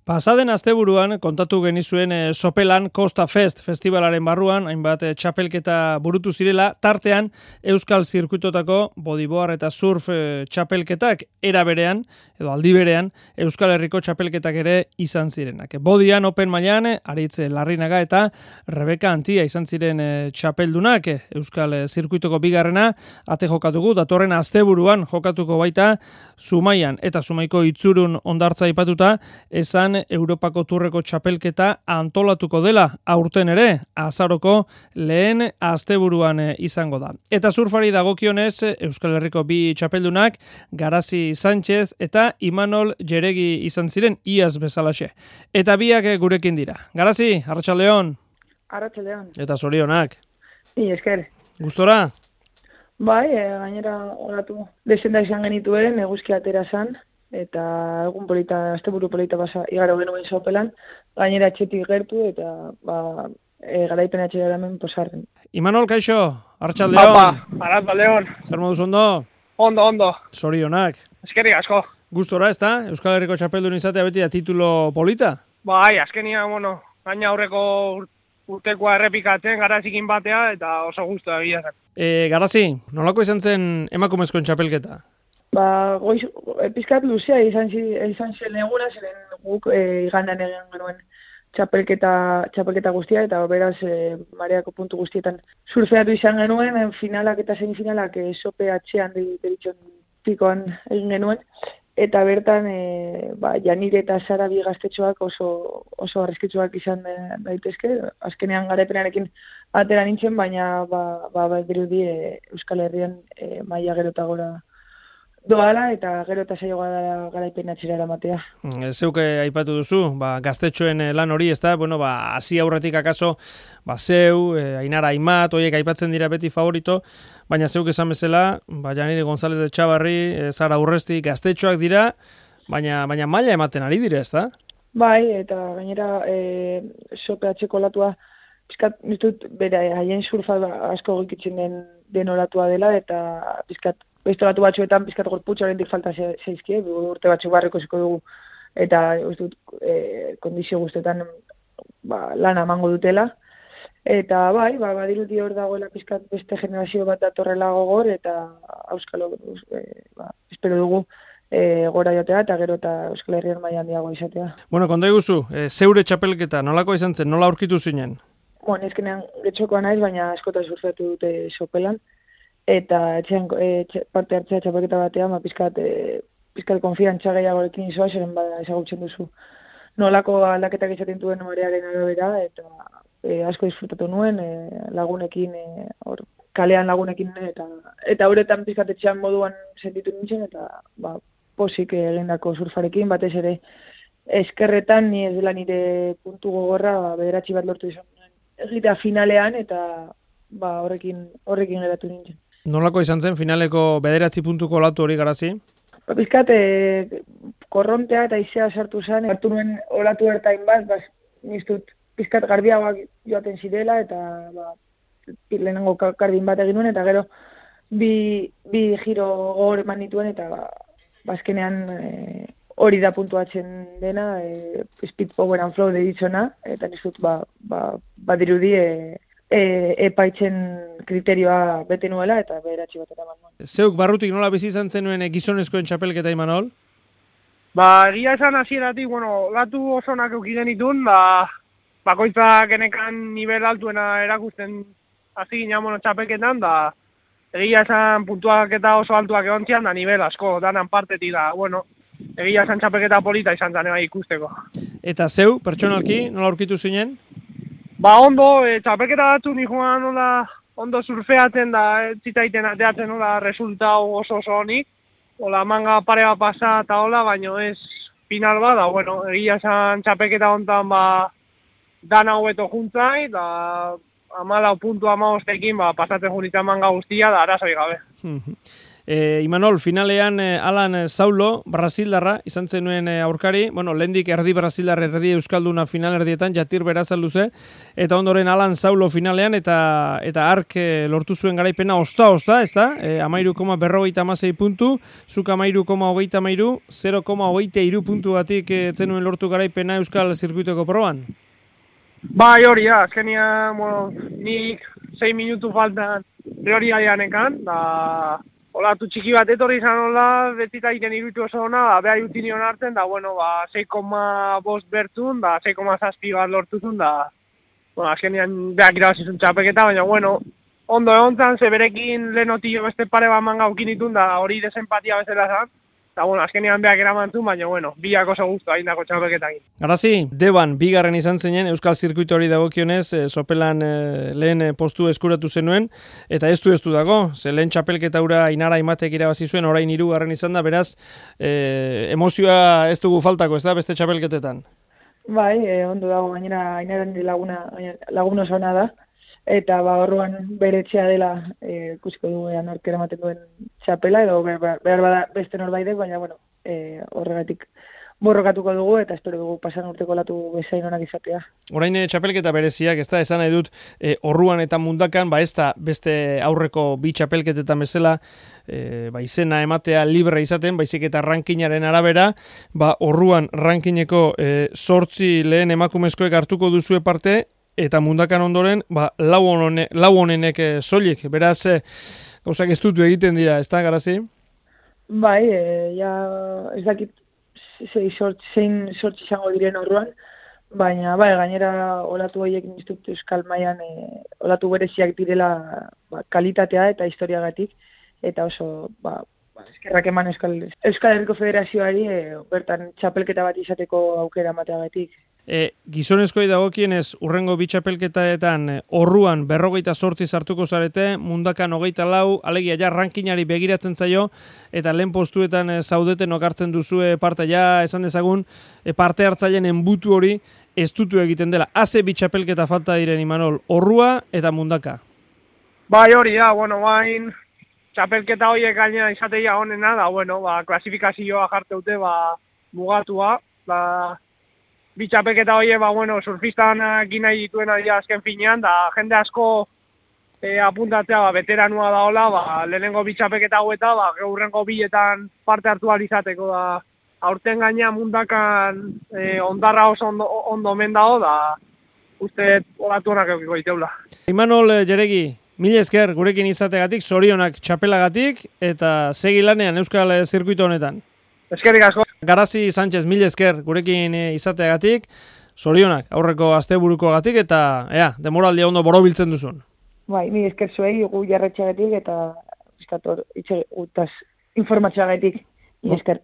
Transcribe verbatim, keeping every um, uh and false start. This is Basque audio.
Pasaden asteburuan kontatu genizuen e, Sopelan Costa Fest festivalaren barruan, hainbat e, txapelketa burutu zirela, tartean Euskal Zirkuitotako bodyboard eta surf e, txapelketak era berean, edo aldi berean, Euskal Herriko txapelketak ere izan zirenak. Bodian Open mailan Aritz Larrinaga eta Rebeka Antia izan ziren e, txapeldunak, Euskal Zirkuitoko bigarrena, ate jokatuko, datorren asteburuan jokatuko baita, Zumaian eta Zumaiko Itzurun hondartza aipatuta, esan Europako turreko txapelketa antolatuko dela aurten ere, azaroko lehen asteburuan izango da. Eta surfari dagokionez, Euskal Herriko bi txapeldunak, Garazi Sánchez eta Imanol Jeregi izan ziren iaz bezalaxe. Eta biak gurekin dira. Garazi, Arratsaldeon. Arratsaldeon. Eta zorionak. Ni esker. Gustora? Bai, e, gainera oratu desenda izan genituen, eguzki atera zan, eta egun polita, asteburu polita basa igaro genuen Sopelan, gainera etxetik gertu, eta ba, e, garaipen atxera hemen posarren. Imanol, kaixo, Arratsaldeon. Apa, Arratsaldeon. Zer moduz ondo? Ondo, ondo. Zorionak. Eskerrik asko. Gustora, ez da? Euskal Herriko txapeldun izatea beti da titulo polita? Bai, azkenia, bueno, gaina aurreko urtekoa errepikatzen, Garazikin batea, eta oso gustu egia zen. E, Garazi, nolako izan zen emakumezkoen txapelketa? Ba, goiz, pizkat luzea izan, izan zen eguna, ziren guk e, igandan egin genuen txapelketa, txapelketa guztia, eta beraz e, mareako puntu guztietan surfeatu izan genuen, en finalak eta semifinalak e, sope atxean deritxon pikoan egin genuen, eta bertan e, ba, Janire eta Sara bi gaztetxoak oso, oso arrezkitzuak izan e, daitezke, azkenean garaipenarekin atera nintzen, baina ba, ba, ba, dirudi e, Euskal Herrian e, maila gero eta gora doala, eta gero eta saioa da garaipen atxera eramatea. Zeuke aipatu duzu, ba, gaztetxoen lan hori, ez da, bueno, ba, hasi aurretik akaso, ba, zeu, e, Ainara Aimat, horiek aipatzen dira beti favorito, baina zeuk esan bezala, ba, Janire González de Txabarri, e, Sara Urresti, gaztetxoak dira, baina, baina maila ematen ari dire, ez da? Bai, eta gainera, e, sope atxeko olatua, pizkat, niztut, bere, haien surfa asko gikitzen den, den olatua dela, eta pizkat, beste olatu batzuetan pizkat gorputza oraindik falta zaizkie, urte batzuk barreko ziko dugu, eta uste dut, e, kondizio guztetan ba, lana emango dutela. Eta bai, ba, badirudi hor dagoela pizkat beste generazio bat datorrela gogor, eta Euskalo, e, ba, espero dugu, e, gora jotea, eta gero eta Euskal Herrian maila handiago izatea. Bueno, konta iguzu, e, zeure txapelketa, nolako izan zen, nola aurkitu zinen? Bueno, ezkenean getxokoa naiz, baina askota surfeatu dute Sopelan, eta etxean e, parte hartzea txapelketa batean, ba, pizkat, e, pizkat konfiantza gehiagorekin izoa, zeren bada ezagutzen duzu nolako aldaketak izaten duen marearen arabera, eta e, asko disfrutatu nuen, e, lagunekin, e, or, kalean lagunekin, eta eta horretan pizkat etxean moduan sentitu nintzen, eta ba, posik egindako surfarekin, batez ere eskerretan, ni ez dela nire puntu gogorra, ba, bederatzi bat lortu izan egitea finalean, eta ba, horrekin, horrekin geratu nintzen. Nolako izan zen finaleko bederatzi puntuko olatu hori, Garazi? Ba, pizkat, e, korrontea eta izea sartu zen, hartu nuen olatu ertain bat, bas, niztut pizkat garbiagoak joaten zirela, eta ba, lehenengo kardin bat egin nuen, eta gero bi, bi giro gogor eman nituen, eta ba, bazkenean e, hori da puntuatzen dena, e, speed, power and flow deritzona, eta niztut ba, ba, badirudi e, E, epaitzen kriterioa bete nuela eta bederatzi bat eraman nuen. Zeuk barrutik nola bizi izan zenuen gizonezkoen txapelketa, Imanol? Ba, egia esan hasieratik, bueno, latu osonak eukiden itun, ba, bakoitzak genekan nivel altuena erakusten hasi ginen, bueno, txapelketan, da egia esan puntuak eta oso altuak egon zian, da nivel asko, danan partetik da, bueno, egia esan txapelketa polita izan zen bai ikusteko. Eta zeu, pertsonalki, nola aurkitu zinen? Ba, ondo, e, txapelketa batzu ni joan nola, ondo surfeatzen da, zitaiten ateatzen nola, resultau oso oso honik. Ola, manga pare bat pasa eta hola, baino ez final bat, da, bueno, egia esan txapelketa hontan, ba, dana hobeto juntzai, da, amalau puntu amabostekin, ba, pasatzen junitzen manga guztia, da, arazoi gabe. E, Imanol, finalean e, Alan Saulo, Brasildarra, izan zenuen e, aurkari, bueno, lehendik erdi Brasildar erdi Euskalduna final erdietan, Jatir Berazalduze, eta ondoren Alan Saulo finalean, eta eta ark e, lortu zuen garaipena osta-osta, ez da? E, amairu koma berrogeita amasei puntu, zuk amairu koma hogeita amairu, zero koma hogeita iru puntu batik e, zenuen lortu garaipena Euskal Zirkuitoko proban? Bai, hori da, azkenia, bueno, nik sei minutu faltan hori aianekan, da... Olatu txiki bat etorri izan hola, betita egiten irutu oso hona, beha jutinion hartzen, da, bueno, ba, sei koma bost bertzun, da, sei koma zazpi bat lortuzun, da, bueno, azkenean behak irabazizun txapeketa, baina, bueno, ondo egon zan, ze berekin lehenotillo beste pare bat manga ukinitun, da, hori desempatia bezala zan, da, bueno, azkenean behak eramantzun, baina, bueno, biak oso guztu hain dako txapeketakin. Garazi, Deban, bigarren izan zinen, Euskal Zirkuito hori dagokionez, e, sopelan e, lehen e, postu eskuratu zenuen, eta ez du ez du dago, ze lehen txapelketa ura Inara Imatek irabazi zuen, orain hirugarren izan da, beraz, e, emozioa ez dugu faltako, ez da, beste txapelketetan? Bai, e, ondo dago, gainera Inaren laguna, laguna oso ona da, eta ba orruan bere etxea dela e, ikusiko dugu ea nork eramaten duen txapela, edo behar bada beste norbaitek, baina bueno, e, horregatik borrokatuko dugu, eta espero dugu pasan urteko olatu bezain onak izatea. Orain e, txapelketa bereziak, ez da, esan nahi dut, e, orruan eta mundakan, ba ez da beste aurreko bi txapelketetan bezala, e, ba izena ematea libre izaten, baizik eta rankinaren arabera, ba orruan rankineko e, sortzi lehen emakumezkoek hartuko duzue parte, eta mundakan ondoren, ba, lau, onone, lau honenek e, soilik, beraz, e, gauzak ez dutu egiten dira, ez da, Garazi? Bai, e, ja, ez dakit zein sortzi izango diren orruan, baina, bai, gainera olatu horiek niztut Euskal Mailan e, olatu bereziak direla ba, kalitatea eta historiagatik, eta oso, ba, ba eskerrak eman Euskal, Euskal Herriko Federazioari e, bertan txapelketa bat izateko aukera emateagatik. E, gizonezkoi dagokienez urrengo bi txapelketaetan e, orruan berrogeita sortzi sartuko zarete, mundakan hogeita lau, alegia ja rankinari begiratzen zaio, eta lehen postuetan e, zaudeten okartzen duzue parte, ja esan dezagun e, parte hartzaileen enbutu hori ez dutu egiten dela. Haze bi txapelketa falta diren, Imanol, orrua eta mundaka. Bai, hori da, bueno, bain txapelketa horiek gaina izateia honena, da, bueno, ba, klasifikazioa jarteute, ba, mugatua, ba, bi txapelketa horiek, ba, bueno, surfistan egin nahi dituen adia azken finean, da jende asko e, apuntatzea, ba, veteranua da hola, ba, lehenengo bi txapelketa haueta, ba, geurrengo bietan parte hartu alizateko, da, aurten gaina mundakan e, ondarra oso ondo, ondo omen dago, da, uste olatu honak eukiko diteula. Imanol Jeregi, mila esker gurekin izategatik, zorionak txapelagatik, eta segi lanean Euskal Zirkuito honetan. Eskerrik asko. Garazi Sánchez, mila esker gurekin izateagatik, zorionak aurreko asteburukoagatik, eta ea, demoraldia ondo borobiltzen duzun. Bai, mila esker zuei, gu jarretxeagatik, eta eskator, itxe gutaz informatxeagatik, mila esker.